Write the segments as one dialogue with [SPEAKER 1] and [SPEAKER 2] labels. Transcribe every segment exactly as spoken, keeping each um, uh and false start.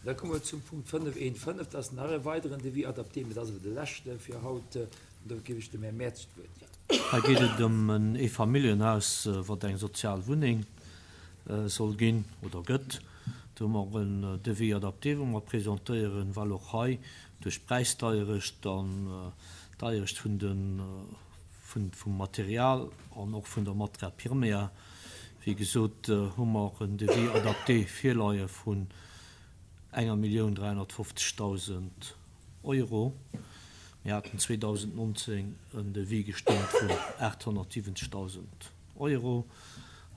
[SPEAKER 1] Da komme mer zum Punkt fënnef eent fënnef. Dat ass nach e weideren Devis adapté, mee dat ass awer de leschte fir haut. An do géif ech dem Här Mertz d'Wuert ginn.
[SPEAKER 2] Hei geet et ëm en Eefamilljenhaus, wat eng sozial Wunneng soll ginn oder gëtt. Do hu mer en Devis adapté, wou mer presentéieren, well och hei duerch d'Präisdeierecht an d'Deierecht vun de, vun, vum Material an och vun der Matière première, wéi gesot, hu mer en Devis adapté virleie vun enger Millioun dräihonnertfofzegdausend Euro. Mir haten zweedausendnonzéng en Devis gestëmmt vun aathonnertsiwwenzegdausend Euro.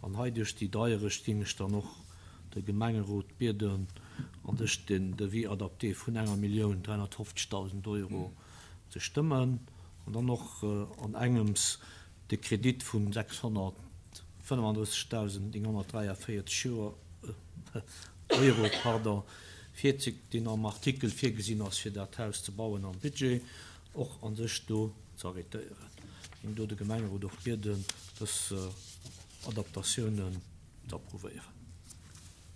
[SPEAKER 2] An hei duerch déi Deierecht géing ech dann och de Gemengerot bieden, an sech den Devis adapté vun enger Millioun dräihonnertfofzegdausend Euro ze stëmmen an dann och an engems de Kredit vu sechshonnertfënnefandrëssegdausend nénghonnertdräiavéierzeg Joer, Euro, pardon, fir deen am Artikel virgesinn ass, fir dat Haus ze bauen am Budget, och a sech do ze arrêtéieren. Géing do de Gemengerot och bieden, dës Adaptatiounen ze approuvéieren.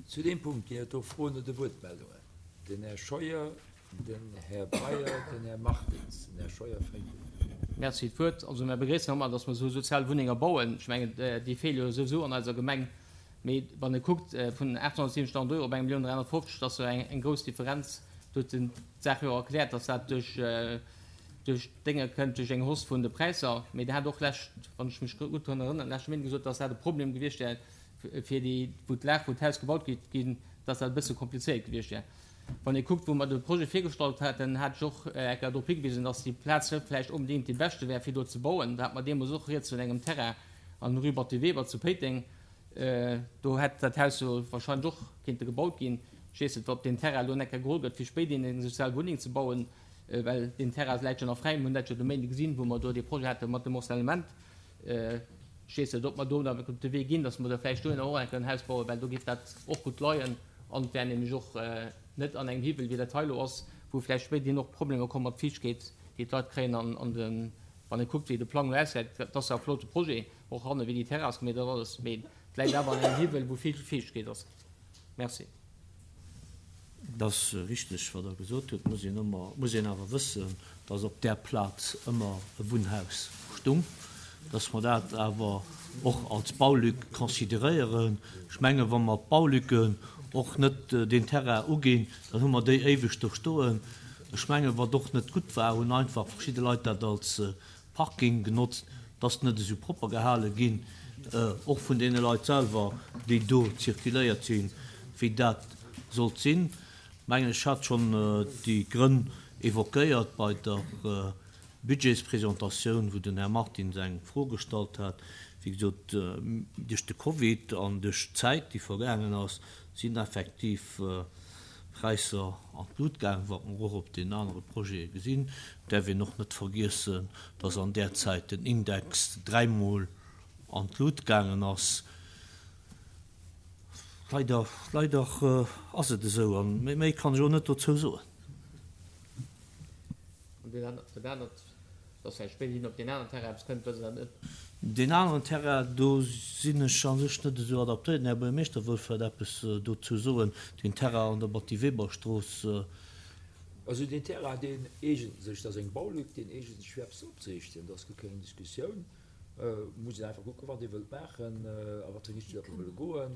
[SPEAKER 1] Zu deem Punkt ginn et do Froen oder Wuertmeldungen? Den Här Scheuer, den Här Breyer, den Här Martins. Den Här Scheuer fänkt un.
[SPEAKER 3] Merci fir d'Wuert. Also mir begréissen och emmer, dass mer esou sozial Wunnenger bauen. Ech mengen, déi feele jo souwisou an eiser Gemeng. Mee wann ee kuckt, vun aathonnertsiwwenzegdausend Euro op eng Millioun dräihonnertfofzeg, dat ass jo eng grouss Differenz. Do huet en d'Saach jo och erkläert, dass dat duerch duerch d'Dénge kënnt, duerch eng Hausse vun de Präisser. Mee Der hat och lescht, wann ech mech gutt drun erënneren, leschte Méinden gesot, dass dat e Problem gewiescht wär fir déi, wou d'Lag, wou d'Haus gebaut gétt ginn, dass dat e bësse komplizéiert gewiescht wär. Wann ee kuckt, wou mer de Projet virgestallt haten, hat ech och eng Kéier drop higewisen, dass déi Plaz net vläicht onbedéngt déi beschte wär, fir do ze bauen. Da hat mer deemools och rieds vun engem Terrain an der Rue Batty Weber zu Péiteng. Do hätt dat Haus jo wahrscheinlech och kéinte gebaut ginn. Ech weess net, ob deen Terrain elo enker geholl gëtt, fir spéiderhin eng sozial Wunneng ze bauen, well deen Terrain läit jo nach fräi. Mir hunn dat jo de Méinde gesinn, wou mer do dee Projet hate mat dem Morcellement. Ech weess net, ob mer do dann op de Wee ginn, datt mer da vläicht dohinner och enker en Haus bauen, well do géif dat och gutt leien an et wär nämlech och net an engem Hiwwel, wéi dat hei elo ass, wou vläicht spéiderhin och Problemer komme mat Fiichtkeet, déi d'Leit kréien an de, wann ee kuckt, wéi de Plang elo ausgesäit, dat ass jo e flotte Projet, och hanne wéi déi Terrass gemeet ass alles, mee et läit awer an engem Hiwwel, wou vill Fiichtkeet ass. Merci.
[SPEAKER 2] Et ass richteg, wat Der gesot hutt. Et muss een ëmmer, muss een awer wëssen, dass op där Plaz ëmmer e Wunnhaus stung, dass mer dat awer och als Baulück consideréieren. Ech mengen, wa mer d'Baulücken och net deen Terrain uginn, dann hu mer déi éiweg do stoen. Ech mengen, wat och net gutt war, hunn einfach verschidde Leit dat als Parking genotzt, et ass net esou propper gehale ginn, och vun deene Leit selwer, déi do zirkuléiert sinn, wéi dat sollt sinn. Mengen, ech hat schonn déi Grënn évoquéiert bei der Budgetspresentatioun, wou den Här Martins eng Fro gestallt hat. Wéi gesot, duerch de Covid an duerch d'Zäit, déi vergaangen ass, sinn effektiv Präisser an d'Lut gaangen, wat mer och op deenen anere Projete gesinn. Et däerf een och net vergiessen, dass an där Zäit den Index dräimol an d'Lut gaangen ass. Leider, leider ass et esou, a méi kann ech och net dozou soen.
[SPEAKER 3] An dat anert, dass vläicht spéiderhin op deen aneren Terrain eppes kënnt, wësst Der dat net?
[SPEAKER 2] Deen aneren Terrain, do sinn ech a sech net esou adaptéiert. Den Här Buergermeeschter wëll vläicht eppes dozou soen. Deen Terrain an der Batty-Weber-Strooss.
[SPEAKER 1] Also deen Terrain, deen eegent sech, dat ass eng Baulück, deen eegent sech fir eppes opzeriichten. Do ass guer keng Diskussioun. Et muss een einfach kucken, wat ee wëllt maachen a wat fir eng Richtung datt mer wëlle goen.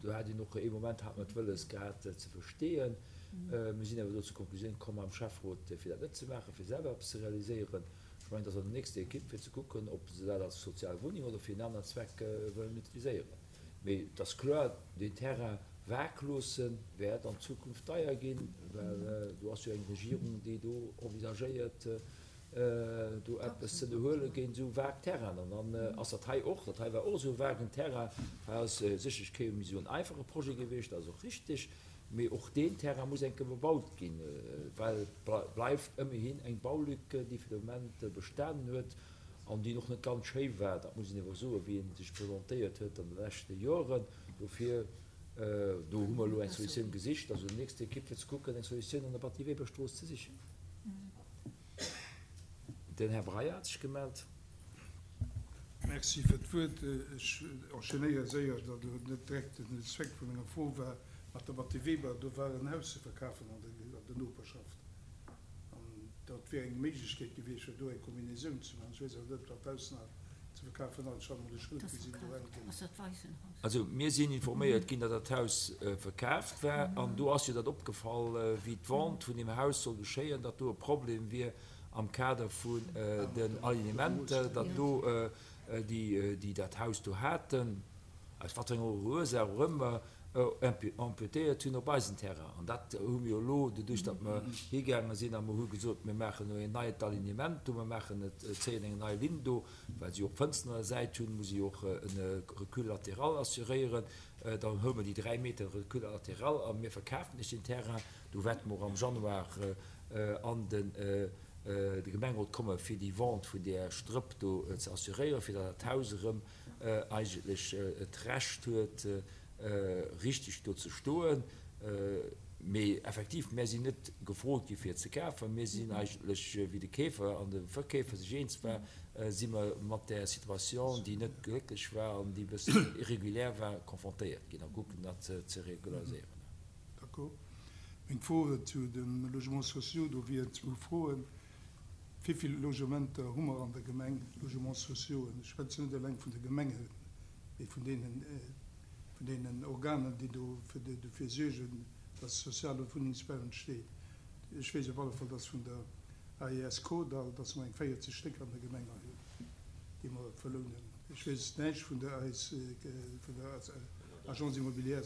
[SPEAKER 1] Do hat een och ee Moment hat mer d'Wëlles gehat ze versteeën. Mir sinn awer do zur Konklusioun komm am Schäfferot, fir dat net ze maachen, fir selwer eppes ze realiséieren. Ech mengen, et ass an der nächster Ekipp, fir ze kucken, ob se dat als sozial Wunneng oder fir en aneren Zweck wëllen utiliséieren. Mee et ass kloer, deen Terrain vag loosse wäert an Zukunft deier ginn, well do ass jo eng Regierung, déi do envisagéiert, do eppes ze ënnerhuele géint esou vague Terrainen. An dann ass dat hei och, dat hei war och esou e vagen Terrain, hei ass sécherlech kee méi esou en einfache Projet gewiescht, dat ass och richtig, mee och deen Terrain muss eng Kéier bebaut ginn, well et bleift ëmmerhin eng Baulück, déi fir de Moment bestanen huet an déi och net ganz schéi war, dat muss een awer soen, wéi e sech presentéiert huet an de leschte Joren. Dofir, do hu mer elo eng Solutioun gesicht, also déi nächst Ekipp fir ze kucken, eng Solutioun an der Batty-Weber-Strooss ze sichen. Den Här Breyer hat sech gemellt.
[SPEAKER 4] Merci fir d'Wuert. Ech enchaînéiere séier, datt elo net direkt den Zweck vu menger Fro war. Mat der Batty Weber, do war en Haus ze verkafen an der Noperschaft. An dat wier eng Méiglechkeet gewiescht, fir do eng Kombinaisoun ze maachen. Ech weess awer net, ob dat Haus nach ze verkafen ass. Ech hat emol e Schëld gesinn do hänken.
[SPEAKER 1] Also mir sinn informéiert ginn, datt dat Haus verkaaft war. An do ass jo dat opgefall, wéi d'Vente vun deem Haus soll geschéien, datt do e Problem wier am Kader vun den Alignementer, datt do déi, déi dat Haus do haten, aus wat fir enger Ursaach och ëmmer, empiétéiert hunn op eisen Terrain. An dat hu mir jo elo, doduerch datt mer higaange sinn a mer hu gesot, mir maachen elo een neit Alignement do, mer maachen et, zéien eng nei Linn do, well se jo och Fënsteren an der Säit hunn, muss ee jo och e Recul latéral assuréieren. Da hu mer déi dräi Meter Recul latéral a mir verkafen lech deen Terrain. Do wäerte mer och am Januar an de Gemengerot komme fir déi Vente vun där Strëpp do ze assuréieren, fir datt dat Haus erëm eigentlech d'Recht huet, richteg do ze stoen. Mee effektiv, mär sinn net gefrot gi fir et ze kafen. Mir sinn eigentlech, wéi de Keefer an de Verkeefer sech eens war, si mer mat där Situation, déi net glécklech war an déi e bëssen irrégulière war, confrontéiert ginn a kucken dat ze regulariséieren.
[SPEAKER 4] D'accord. Meng Fro zu de Logements sociaux, do wieren zwou Froen. Wéi vill Logementer hu mer an der Gemeng, Logements sociaux? Ech schwätzen net eleng vun de Gemengen, mee vun deenen, vun deenen Organen, déi do dofir suergen, dass soziale Wunnengsbau entsteet. Ech weess op alle Fall, dass vun der A E S Kordall, dass mer eng véierzeg Stéck an der Gemeng hei hunn, déi mer verlounen. Ech weess näischt vun der A S, vun der Agence immobilière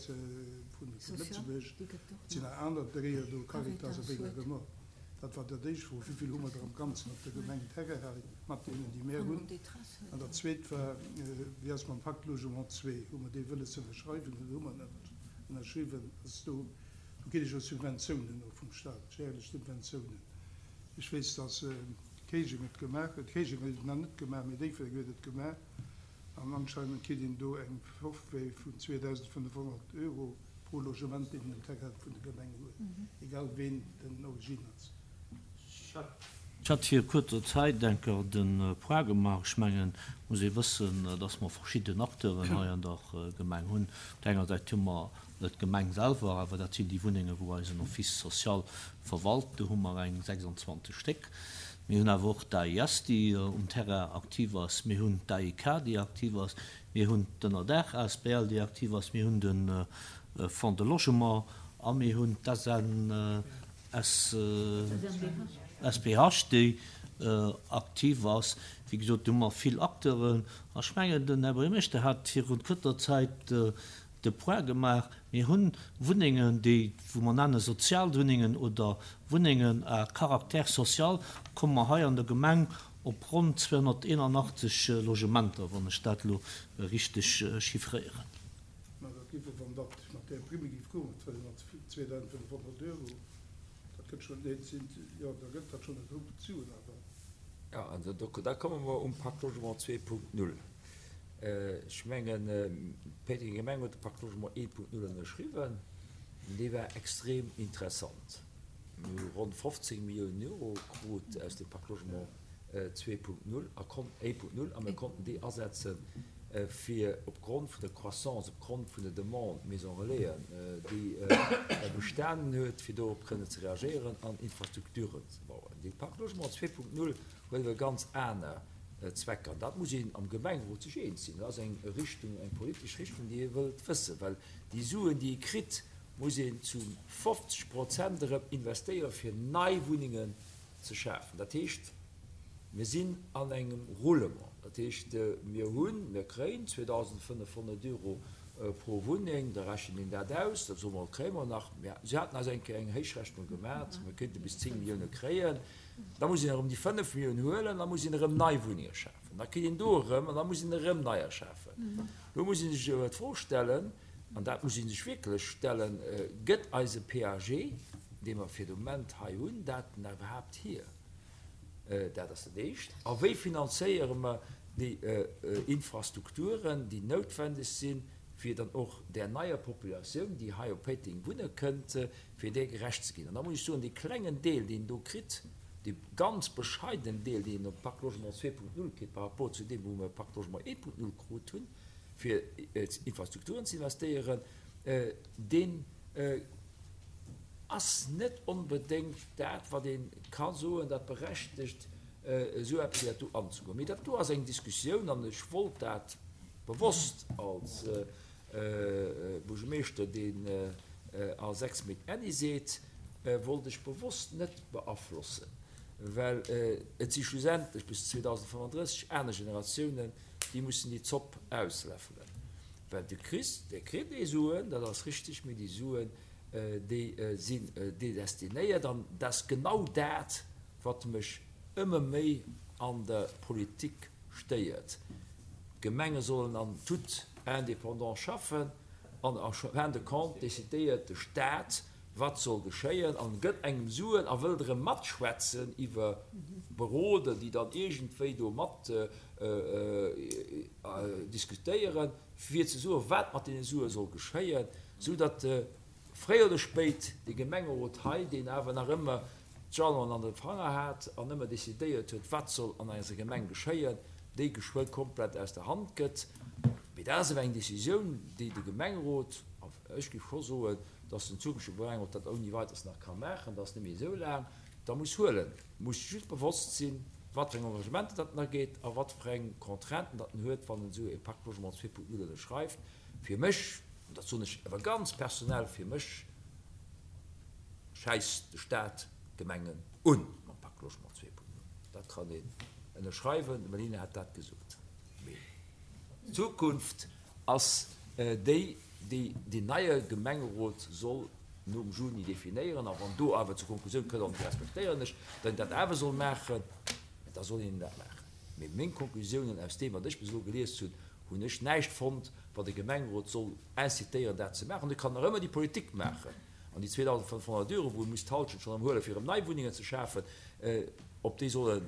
[SPEAKER 4] vun Lëtzebuerg. Et sinn nach aner Dréier do, Caritas a wéi nach ëmmer. Dat war dat éischt Fro, wéi vill hu mer der am Ganzen op der Gemeng Terrain hei mat deenen, déi mär hunn? An dat zweet war, wéi ass mam Pacte Logement zwee? Hu mer dee wëlles ze ënnerschreiwen oder hu mer en net ënnerschriwwen? Ass do, do kritt ech jo Subventiounen och vum Staat, jährlech Subventiounen. Ech weess, dass Kéijeng et gemaach huet. Kéijeng huet et nach net gemaach, mee Déifferdeng huet et gemaach. An anscheinend kritt een do eng Forfait vun zweedausendfënnefhonnert Euro pro Logement, deen een um Terrain vun der Gemeng huet, egal ween den Origine ass.
[SPEAKER 2] Ech hat vir kuerzer Zäit enker de Point gemaach. Ech mengen, muss ee wëssen, dass mer verschidden Acteuren hei an der Gemeng hunn. Op der enger Säit hu mer d'Gemeng selwer, awer dat sinn déi Wunnenge, wou eisen Office social verwalt. Do hu mer eng sechsundzwanzeg Stéck. Mir hunn awer och d'A I S, déi um Terrain aktiv ass. Mir hunn d'A I K, déi aktiv ass. Mir hunn d'Ënnerdaach A S B L, déi aktiv ass. Mir hunn de Fonds de Logement a mir hunn d'S N S S P H, déi aktiv ass. Wéi gesot, do hu mer vill Acteuren. A ech mengen, den Här Buergermeeschter hat virun kuerzer Zäit de Point gemaach. Mir hunn Wunnengen, déi, wou mer nenne Sozialwunnengen oder Wunnengen à caractère social, komme mer hei an der Gemeng op ronn zweihunderteinundachtzig Logementer, wann ech dat lo richteg chiffréieren.
[SPEAKER 4] Ma dat géif, wann dat mat der Prime géif kommen, zweitausendfënnefhonnert Euro, dat gëtt schon net sinn, ja, da gëtt dat schon net hoch zu, awer
[SPEAKER 1] Ja, also do, da komme mer um Pacte Logement zwei Punkt null. Ech mengen, d'Péitenger Gemeng huet de Pacte Logement eent Punkt null ënnerschriwwen. Dee war extrem interessant. Mir hu ronn fofzéng Milliounen Euro krut aus dem Pacte Logement zwei Punkt null a kon-, eent Punkt null, a mir konnten déi asetzen, fir opgrond vun der Croissance, opgrond vun der Demande Maison Relaisen, déi bestanen huet, fir dorop kënnen ze reagéieren an Infrastrukturen ze bauen. De Pacte Logement zwei Punkt null huet awer ganz aner Zwecker. Dat muss een am Gemengerot sech eens sinn. Dat ass eng Richtung, eng politesch Richtung, déi ee wëllt wëssen, well déi Suen, déi ee kritt, muss een zu fofzeg Prozent erëm investéieren, fir nei Wunnengen ze schafen. Dat heescht, mir sinn an engem Roulement. Dat heescht, mir hunn, mir kréien zweitausendfënnefhonnert Euro pro Wunneng, da rechnen een dat aus, dat soen wir, kréien wir nach. Ja, sie hatten also eng, eng Héichrechnung gemacht, wir könnten bis zehn Millionen kréien. Da muss een erëm déi fënnef Millionen huelen, da muss een erëm nei Wunnenge schafen. Da kritt een do erëm, an da muss een erëm neier schafen. Do muss een sech awer d'Fro stellen, an dat muss een sech wierklech stellen, gëtt eise P A G, dee mer fir de Moment hei hunn, dat denn iwwerhaapt hier? Dat ass dat Éischt. A wéi finanzéiere mer déi Infrastrukturen, déi noutwendeg sinn, fir dann och der neier Populatioun, déi hei op Péiteng wunne kënnt, fir där gerecht ze ginn. An da muss ich soen, dee klengen Deel, deen do kritt, dee ganz bescheidenen Deel, deen op Pacte Logement zwei Punkt null kritt, par rapport zu dem, wou wir Pacte Logement eent Punkt null krut hunn, fir Infrastrukturen ze investéieren, deen ass net onbedéngt dat, wat ee ka soen, dat berechtegt, esou eppes wéi dat do anzegoen. Mee dat do ass eng Diskussioun, an ech wollt dat bewosst als Buergermeeschter, deen a sechs Méint Äddi seet, wollt ech bewosst net beaflossen, well et si schlussendlech bis zweedausendfënnenddrësseg aner Generatiounen, déi mussen déi Zopp ausläffelen. Well de Chris, dee kritt déi Suen, dat ass richtig, mee déi Suen, déi sinn destinéiert, an dat ass genau dat, wat mech ëmmer méi an der Politik stéiert. D'Gemenge sollen an toute indépendance schaffen an en fin de compte décidéiert de Stat, wat soll geschéien an gëtt engem Suen a wëllt erëm matschwätzen iwwer Beroder, déi dann iergendwéi do mat diskutéieren, fir ze soen, wat mat deene Sue soll geschéien, sou datt fréi oder spéit dee Gemengerot hei, deen awer nach ëmmer d'Jalonen an de Fanger hat an ëmmer decidéiert huet, wat soll an eiser Gemeng geschéien, déi geschwë komplett aus der Hand gëtt. Mee dat ass awer eng Décisioun, déi de Gemengerot, a ech géif scho soen, dass den zukünftege Gemengerot dat ouni Weiteres nach ka maachen, dat ass net méi esou laang, da muss huelen, muss just bewosst sinn, wat fir eng Engagementer dat en ageet a wat fir eng Contrainten dat en huet, wann en esou e Pacte Logement zwee Punkt null ënnerschreift. Fir mech, an dat soen ech awer ganz personell, fir mech schäisst de Stat d'Gemengen un mam Pacte Logement zwee Punkt null. Dat kann een ënnerschreiwen, de Mellina hat dat gesot. Mee d'Zukunft ass déi, déi deen neie Gemengerot soll nom Juni definéieren. A wann do awer zur Konklusioun kënnt, an déi respektéieren ech, datt een dat awer soll maachen, da soll een dat maachen. Mee meng Konklusiounen aus deem, wat ech bis elo gelies hunn, hunn ech näischt fonnt, wat e Gemengerot soll incitéieren, dat ze maachen. E kann nach ëmmer déi Politik maachen an déi zweedausendfënnfhonnert Euro, wou e muss d'Halschent schonn erëm huelen, fir erëm nei Wunnengen ze schafen, op déi soll e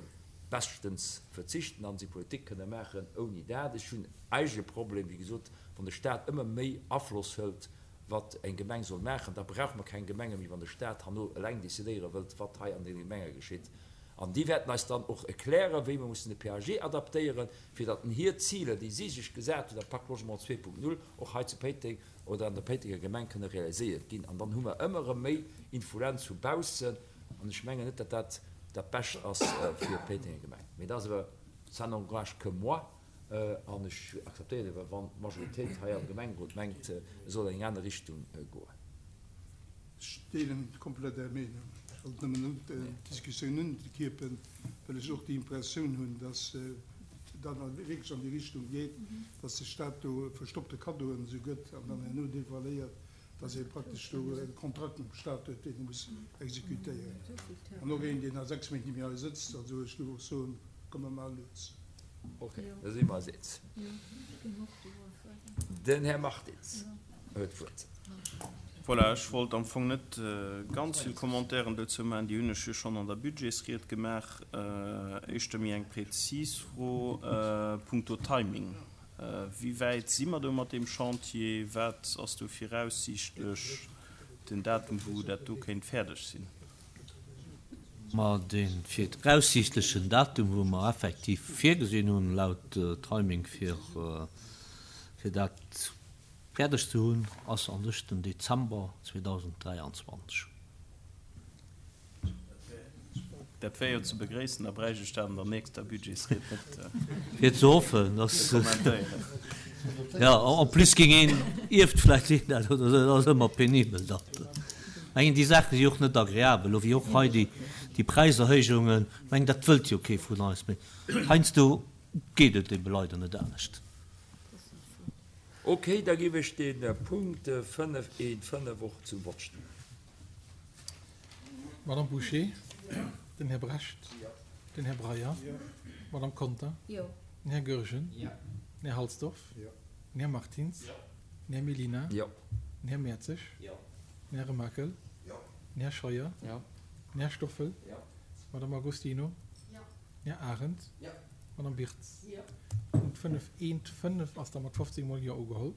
[SPEAKER 1] beschtens verzichten an seng Politik kënne maachen ouni dat. Ech hunn eigentlech e Problem, wéi gesot, wann de Stat ëmmer méi Afloss hëlt, wat eng Gemeng soll maachen, da brauche mer keng Gemenge méi, wann de Stat herno eleng decidéiere wëllt, wat hei an deene Gemenge geschitt. An déi wäerten eis dann och erklären, wéi mer mussen de P A G adaptéieren, fir datt en hir Ziler, déi si sech gesat hunn am Pacte Logement zwee Punkt null, och hei zu Péiteng oder an der Péitenger Gemeng kënne realiséiert ginn. An dann hu mer ëmmer erëm méi Influenz vu baussen. An ech mengen net, datt dat dat Bescht ass fir d'Péitenger Gemeng. Mee dat ass awer, ça n'engage que moi. An ech akzeptéieren awer, wann d'Majoritéit hei am Gemengerot mengt, et soll an eng aner Richtung goen.
[SPEAKER 4] Ech deelen komplett Är Meenung. Ech wollt nëmmen d'Diskussioun unkierpen, well ech och déi Impressioun hunn, dass dat wierklech an déi Richtung geet, dass de Stat do verstoppte Kaddoen esou gëtt an dann herno devoiléiert, dass ee praktesch do e Kontrakt mam Stat huet, deen e muss exekutéieren. An och een, deen a sechs Méint net méi hei sëtzt. Also ech géif och soen, komme mer lues.
[SPEAKER 1] Ok, da si mer eis eens. Den Här Martins huet d'Wuert.
[SPEAKER 5] Voilà, ech wollt am Fong net ganz vill Commentairen dozou maachen, déi hunn ech jo schonn an der Budgetsried gemaach. Éischter méi eng prezis Fro punkto Timing. Wéi wäit si mer do mat deem Chantier? Wat ass do viraussiichtlech den Datum, wou dat do kéint fäerdeg sinn?
[SPEAKER 2] Ma dee viraussiichtlechen Datum, wou mer effektiv virgesinn hunn, laut Timing, fir dat fäerdeg ze hunn, ass an sech den Dezember zweedausenddräianzwanzeg.
[SPEAKER 5] Dat wär jo ze begréissen, da bräicht ech dat an der nächster Budgetsried net
[SPEAKER 2] Fir ze hoffen, dass
[SPEAKER 5] ze kommentéieren.
[SPEAKER 2] Jo, en plus géing een ierft vläicht een dat oder esou, dat ass ëmmer penibel. Dat mengen, déi Saache si och net agreabel, elo wéi och hei déi, déi Präiserhéijungen, mengen, dat wëllt jo kee vun eis, mee heiansdo geet et ebe leider net anescht.
[SPEAKER 1] Ok, da géif ech de Punkt fënnef eent fënnef och zum Vott stellen.
[SPEAKER 6] Madame Bouché, den Här Brecht, den Här Breyer, d'Madame Conter, den Här Goergen, den Här Halsdorf, den Här Martins, den Här Mellina, den Här Mertzig, den Här Remakel, den Här Scheuer, den Här Stoffel, d'Madame Agostino, den Här Arendt, d'Madame Birtz. Punkt fënnef eent fënnef ass da mat fofzéng Mol Jo ugeholl.